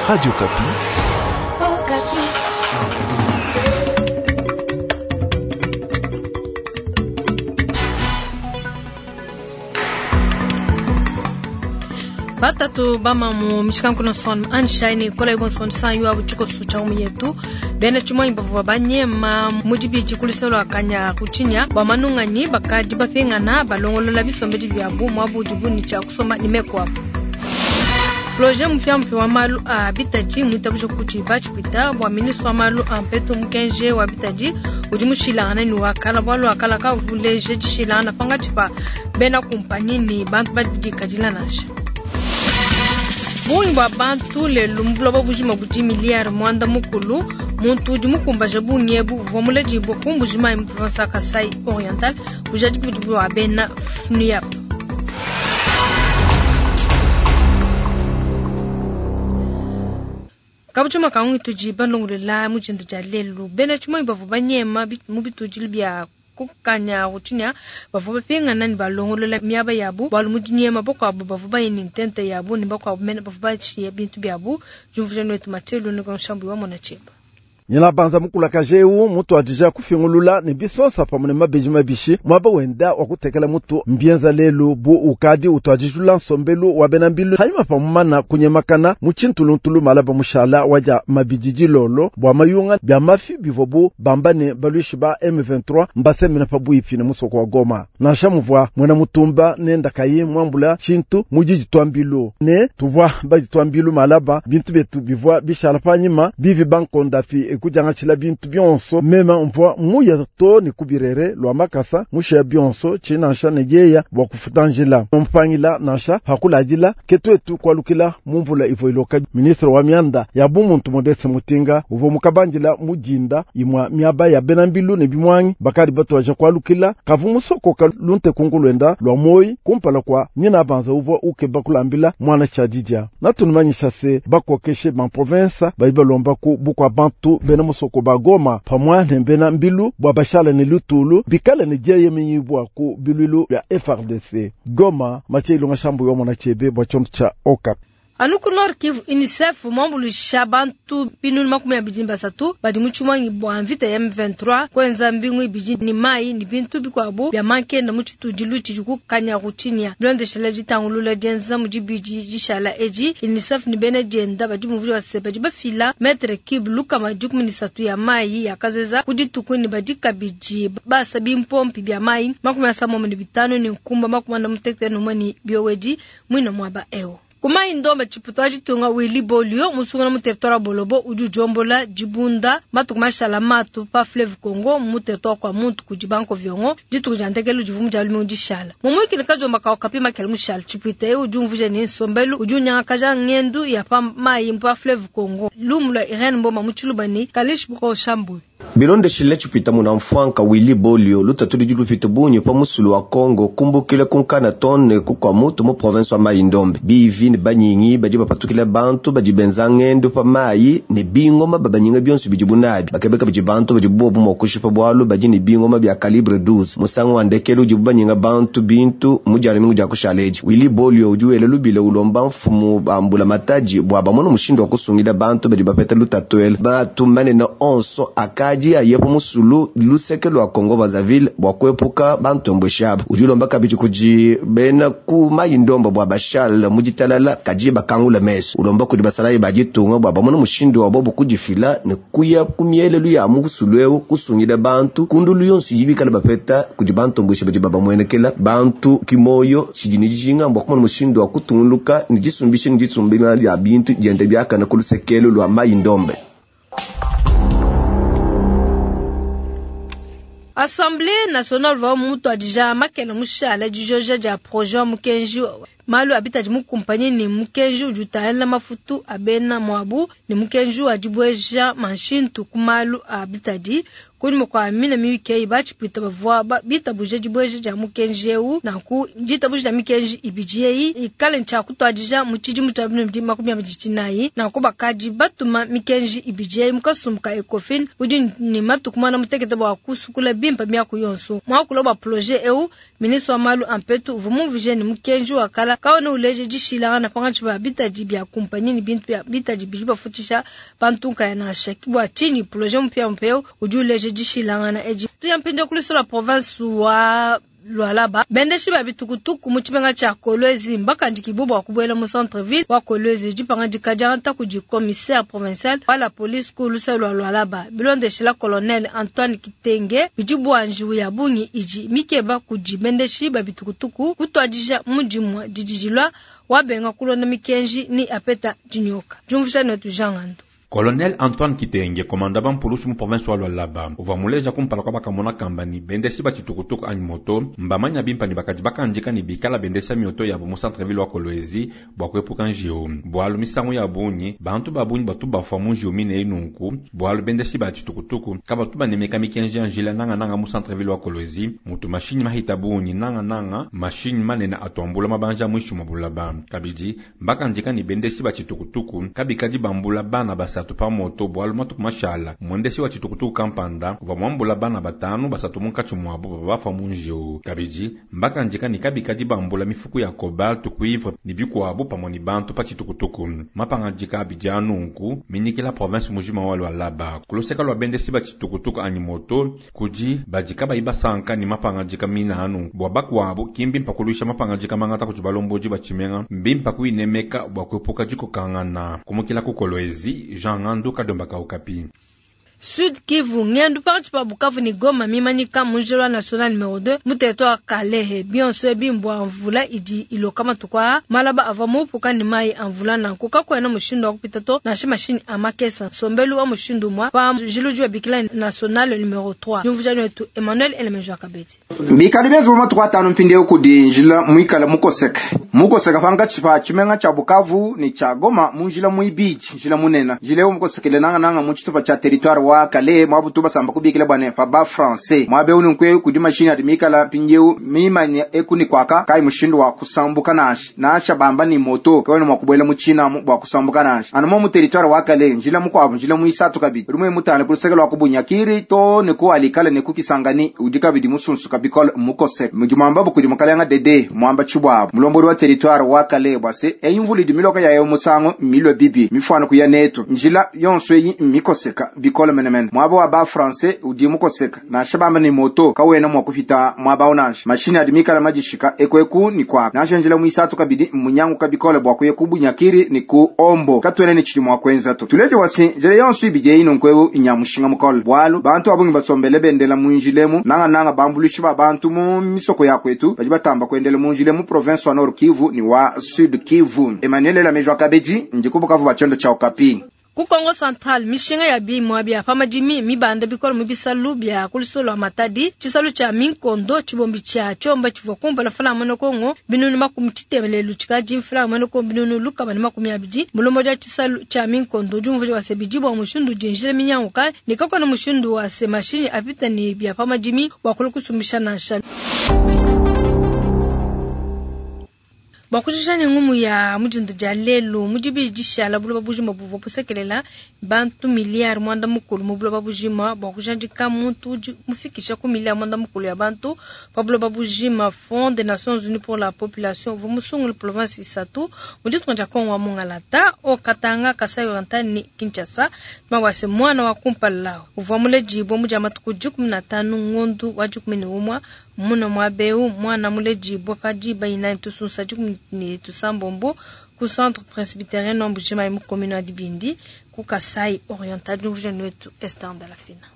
Radio Okapi. Batatu bamamu mishikankuno son anshine kola ibonso san yuwa buchiko sucha yetu bena chimwanyi bavua banyema mudibidi kulisolo akanya kuchinya bwa manunganyi bakadi bapingana balongolola bisombedi byabu mwabudi buni cha kusoma nimekwapo Projet mpya mpya wa malu a bitaji mwitabuja kuti bachipita bwa ministre wa malu a mpetu mukenje wa bitaji udi mushilangana ni wakala bwalu akala kavuleje dishilangana pangatshipa bena kumpanyi ni bantu badi kadila nansha bungi bwa bantu lelu mu bujima budi miliyari mwanda mukulu muntu udi mukumbaja bungi ebu uvua muledibue ku Mbuji-Mayi mu province ya Kasai Oriental bujadiki budi bua bena FNUAP. Kabutshima kangu tudi balongolola mu tshintu tshia lelu bena tshimonyi bavua banyema mu bitudilu bia kukanya rutshinya bavua bapingana ne balongolola miaba yabu bualu mu dinyema bakuabu bavua baye ne ntente yabu ne bakuabu mene bavua bashiye bintu biabu diumvuija netu Mathieu Lunga Nshambu wa mona tshieba. Nyina banza mukulakaje eu mutu adija kufingulula ne bisosa pamwe ne mabeji mabishi mwaba wenda wa kutekela mutu mbienza lelu bu ukadi utwadijula nsombelu wa bena mbilu hanyuma pamumana kunyemakana mu tshintuluntulu malaba mushala waja mabidi dilolo bua mayunga bya mafi bivua bu bamba ne baluishi ba M23 mbasemena pabuipi ne musoko wa Goma. Nansha muvua mwena mutumba nenda kayi mwambula tshintu mujiji twambilu ne tuvua badi twambilu malaba bintu betu bivua bishala panyima bivi bankonda fi ekujangatshila bintu bionso mema mvua muya to ne kubirere lwa makasa musheya bionso tshinansha ne dieya bua kufuta njila mpangila nansha hakuladila ketwetu kualukila mu mvula ivua iloka. Ministre wa mianda ya bumuntu Modeste Mutinga uvua mukabandila mujinda imwa miaba ya bena mbilu ne bimwangi bakadi batwaja kualukila kavu musokoka lunte kungulwenda lwa moyi kumpala kwa nyina banza uvua ukeba kulambila mwana tshadidia natunumanyisha se bakokeshe ban province badi balomba ku bukwa bantu bena musoko ba Goma pamwa ne bena mbilu bua bashala ne lutulu bikale ne dieyemenyibua ku bilwilu bya FRDC. Goma Mathieu Ilunga Shambu yo mona chebe bua tshiondo tsha Okapi. Anu ku Nord Kivu UNICEF mwambuluisha bantu binunu 23 badi mu tshimanyi bua mvita ya M23 kwenza mbingu ibidi ni mai ni bintu bikuabu bya mankenda mu tshitudilu tshidi ku Kanyaruchinya bilondeshela ditangulula dienza mu dibidi dishala edi UNICEF ni bena dienda badi muvuli wa se badi bafila mètre cube lukama 13 ya mai ya kazeza ku dituku ni badi kabidi basa bimpompi bya mai 75 ni nkumba 61 ni biowedi mwina mwaba eo. Kuma indombe chiputo ditunga Willy Bolio musungula mu territoire Bolobo udi ujombola dibunda matuku mashala matu pa fleuve Congo mu territoire kwa muntu kudi banko viongo dituku dia ndekelu divumu dia lumu dishala mumwikile kajomba ka okapi makele mushala chiputo eu udi umvuja ne nsombelu udi unyangakaja ngendu ya pa mayi pa fleuve Congo lumu lwa Irene Mboma mu Tshiluba ni Kalish Boko Shambu. Bilondeshile tshipita muna mfwanka Willy Bolio lutatu ludi lupita bunyi pa musulu wa Congo kumbukile kunkana tone kukwa mutu mu province wa Mai-Ndombe bivi ne banyingi badi bapatukile bantu badi benza ngendo pa mayi ne bingoma babanyinga bionso bidi bunabi bakebeka bidi bantu badi bobu mua kushipa bualu badi ne bingoma bya calibre 12 musangu wa ndekelu udi banyinga bantu bintu mu dia mingu dia kushaleji Willy Bolio udi wele lubile ulomba mfumu bambula mataji bua bamona mushindu wa kusungila bantu badi bapeta lutatu elu batu manene onso akaji ayepo musulu luseke lwa Congo Brazzaville bua kuepuka bantu mbweshabo udi ulomba kabidi kudi bena ku Mai-Ndombe bua bashal mu ditalala kaji bakangula meso ulomba kudi basalayi baditunga bua bamona mushindu wa bobu kudifila ne kuya ku mielelu ya musulu eu kusungila bantu kundulu yonso idi bikala bapeta kudi bantu mbwesha badi babamuenekela bantu kimoyo tshidi ne dijinga bua kumona mushindu wa kutunguluka ne disumbisha ne disumbila lya bintu diende biakana ku lusekelo lwa Mai-Ndombe. Assemblée nationale va mutu adija makela mushala dijoja dia projet mukenji malu abita mu kumpanyi ni mukenji udi utangila mafutu abena mwabu ni mukenji wa dibweja manshintu ku malu abitadi kunyima kua mina miyuki bachipita bavua bitabuje dibweja dia mukenji eu nanku ditabuje dia mikenji ibidi eyi ikale ntshia kutuadija mu tshidimu tshia 2029 nanku bakadi batuma mikenji ibidi eyi mu kasumbu ka Ecofin udi ni matuku mana mutekete bua kusukula bimpe miaku yonso mwakula bua projet eu ministre wa malu ampetu uvua mumvije ni mukenji wa kala. Kawena uleja dishilangana pankatshi pa bitadi bia kumpanyi ne bintu bia bitadi bidi bafutshisha bantu nkaya nansha. Bua tshinyi projet mupiamupia eu udi uleja dishilangana edi? Tuya mpindieu ku luso lua province wa Lualaba, bendeshi ba bitukutuku mu tshimenga tshia Kolwezi mbakandikibue bua kubuela mu centre ville wa Kolwezi. Dipangadika diangata kudi commissaire provincial wa la police ku luse lua Lualaba. Bilondeshila colonel Antoine Kitenge, bidi bua njiwu ya bungi idi mikeba kudi bendeshi ba bitukutuku kutuadija mu dimue didi dilua. Wabenga kulonda mikenji ni apeta dinyoka. Diumvuija netu Jean Ngandu. Colonel Antoine Kitenge, komanda ba mpulusu mu province wa Lualaba, uvua muleja kumpala kua bakamona kamba ni bendeshi ba tshitukutuku anyi moto mbamanya bimpa ni bakadi bakandika ni bikala bendesha mioto yabu mu centre ville wa Kolwezi bua kuepuka njiwu. Bualu misangu ya bungi bantu ba bungi batu bafua mu njiwu mine nunku bualu bendeshi ba tshitukutuku kabatu banemeka mikenji ya njila nanga nanga mu centre ville wa Kolwezi mutu mashinyi mahita bungi nanga nanga mashinyi manene atuambula mabanja muinshi mua bulaba. Kabidi mbakandika ni bendeshi ba tshitukutuku kabikadi bambula bana basatu pa moto bualu matuku mashala mwendeshi wa tshitukutuku kampanda uvua muambula bana batanu basatu munkatshi muabu bavua bafua mu njiwu. Kabidi mbakandika ni kabikadi bambula mifuku ya cobalt, cuivre ni bikuabu pamue ni bantu pa tshitukutuku. Mapangadika abidi a nunku minyikila province mujima wa Lualaba. Kuluseka lua bendeshi ba tshitukutuku anyi moto kudi badi kabayi basanka ni mapangadika mina anu bua bakuabu ki mbimpa kuluisha mapangadika mangata kudi balombodi ba tshimenga, mbimpa kuinemeka bua kuepuka dikokangana. Kumukila ku Kolwezi, Jean Ngandu, Kadomba ka Okapi. Sud Kivu, ngendu pakati pa Bukavu ni Goma mimanyika mu njila wa national numero 2 mu territoire Kalehe. Bionso ebi mbua mvula idi iloka matuku aa, malaba avua muupuka ni mayi a mvula nanku kakuena mushindu wa kupita to nansha mashinyi a makesa. Nsombelu wa mushindu umue pa njila udi babikila national numero 3. Diumvuija wetu Emmanuel Elemejo Kabedi. Bikadi bienza matuku atanu mpindieu kudi njila muikale mukoseka mukoseka pankatshi pa tshimenga tshia Bukavu ni tshia Goma mu njila muibidi njila munene njila eu mukosekele nangananga mu tshitupa tshia territoire wa Kalehe mwabutu basamba kubikila bwane pa ba français mwabe unu nkwe kudi mashini adi mikala mpindieu mimanye eku ni kwaka kai mushindu wa kusambuka nansha nansha bamba ni moto kawena mwa kubuela mu China bua kusambuka nansha anu mu territoire wa Kalehe njila mukuabu njila muisatu kabidi rimwe mutane kuluseke lwa kubunyakiri to ne ku alikale ne kukisangani udi kabidi musunsuka bikole mukose mujimamba bukudi mukalanga dede mwamba chibwabo mulombodi wa territoire wa Kalehe bwase eyimvula idi miloka yayo musango milwe bibi mifano kuya netu njila yonso eyi mikoseka bikole menemene mwaba wa ba français udi mukoseka nansha bamba ni moto kawena mwa kupita mwaba unansha mashini adi mikala majishika ekweku ni kwa nansha njila muisatu kabidi munyangu kabikole bwa kuya kubunyakiri ni ku ombo katwene ni chidi mwa kwenza to tuleje wasi njila yonso ibije ino nkwewu inyamushinga mukole bwalu bantu abungi basombele bendela munjilemu nanga nanga bambulishi ba bantu mu misoko ya kwetu badi batamba kuendela munjile mu province wa Nord Kivu ni wa Sud Kivu. Emmanuel Lamejwa Kabedi ndikubukavu bachondo cha Okapi. Ku Kongo Central mishinga ya bimwa bya pamadimi mibanda bikolo mu bisalu bya kulisolo Matadi tshisalu tsha Minkondo tshibombi tsha Tshomba tshivua kumpala fula mwene Kongo binunu makumi tshitemelelu tshikadi mfula mwene Kongo binunu lukama ne makumi abidi mulomo dia tshisalu tsha Minkondo diumvuija wa sebidi bua mushindu dinjila minyanguka ne kakona mushindu wa se mashinyi apita ne bya pamadimi bua kulukusumbisha nansha. Bua kujikija ne ngumu ya mudinda dia lelu mudibi dishala buloba bujima buvua busekelela bantu miliyari mwanda mukulu mu buloba bujima bua kujadika muntu udi mufikisha ku miliyari mwanda mukulu ya bantu pa buloba bujima. Fonds des Nations Unies pour la population uvua musungule province isatu mu ditunga dia Kongo wa Mungalata, Haut-Katanga, Kasai Oriental ni Kinshasa. Mawase mwana wa kumpala uvua muledibue mu dia matuku 15 ngondu wa 11 muna mwabeu mwana muledibue pa diba inayi tusunsa 16 ku centre presbytérien wa Mbujimayi mu commune ya Dibindi ku Kasai Oriental. Diumvuija wetu Esther Ndalafina.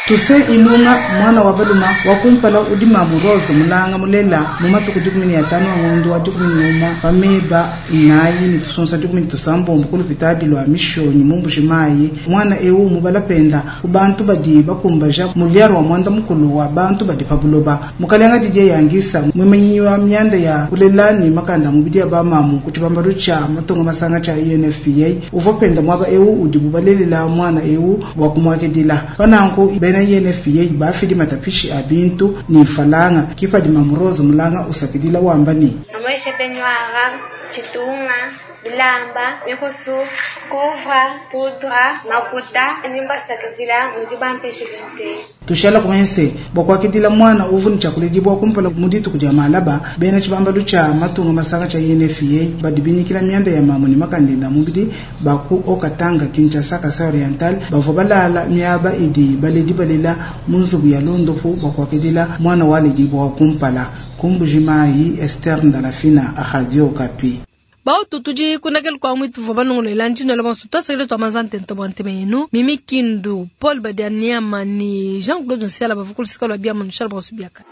Tuse Ilunga mwana wa baluma wa kumpala udi mamu Rose mulanga mulela mu matuku 15 wa ngondo wa 11 pameba inayi ni tusunsa 16 kulupitadi lwa mishonyi mu Mbujimayi mwana eu mubalapenda ku bantu badi bakumbaja mulyaro wa mwanda mukulu wa bantu badi pabuloba mukalenga Didier Yangisa mwimanyi wa myanda ya kulela ni makanda mubidi ya bamamu ku tshibambalu tsha matongo masanga tsha UNFPA uvua penda mwaba eu udi bubalelela mwana eu wa kumwakedila pananku bena UNFPA bafidi matapishi a bintu ni falanga kipadi mamurozo mulanga usakidila wambani maisha penywaga chitunga bilamba mikusu kuvra pudra makuta nimba sakidila mudiba mpeshe. Tushala kumanya se bua kuakidila mwana uvu ne tshiakuledibua kumpala mu dituku dia malaba, bena tshibambalu tshia matunga masanga tshia UNFPA badi binyikila mianda ya mamu ne makandenda mubidi ba ku Haut-Katanga, Kinshasa, Kasai Oriental bavua balala miaba idi baledi balela mu nzubu ya londopu bua kuakidila mwana waledibua kumpala. Ku Mbuji-Mayi, Esther Ndalafina, Radio Okapi. Bautu tudi kunakela kwa mwitu vua banongolela ndino la bonso twasakile twa manza ntenta bua ntema yenu Mimi Kindu Paul Badianiama ni Jean-Claude Nsiala bavua kulusika lua biamu nushala bonso biaka.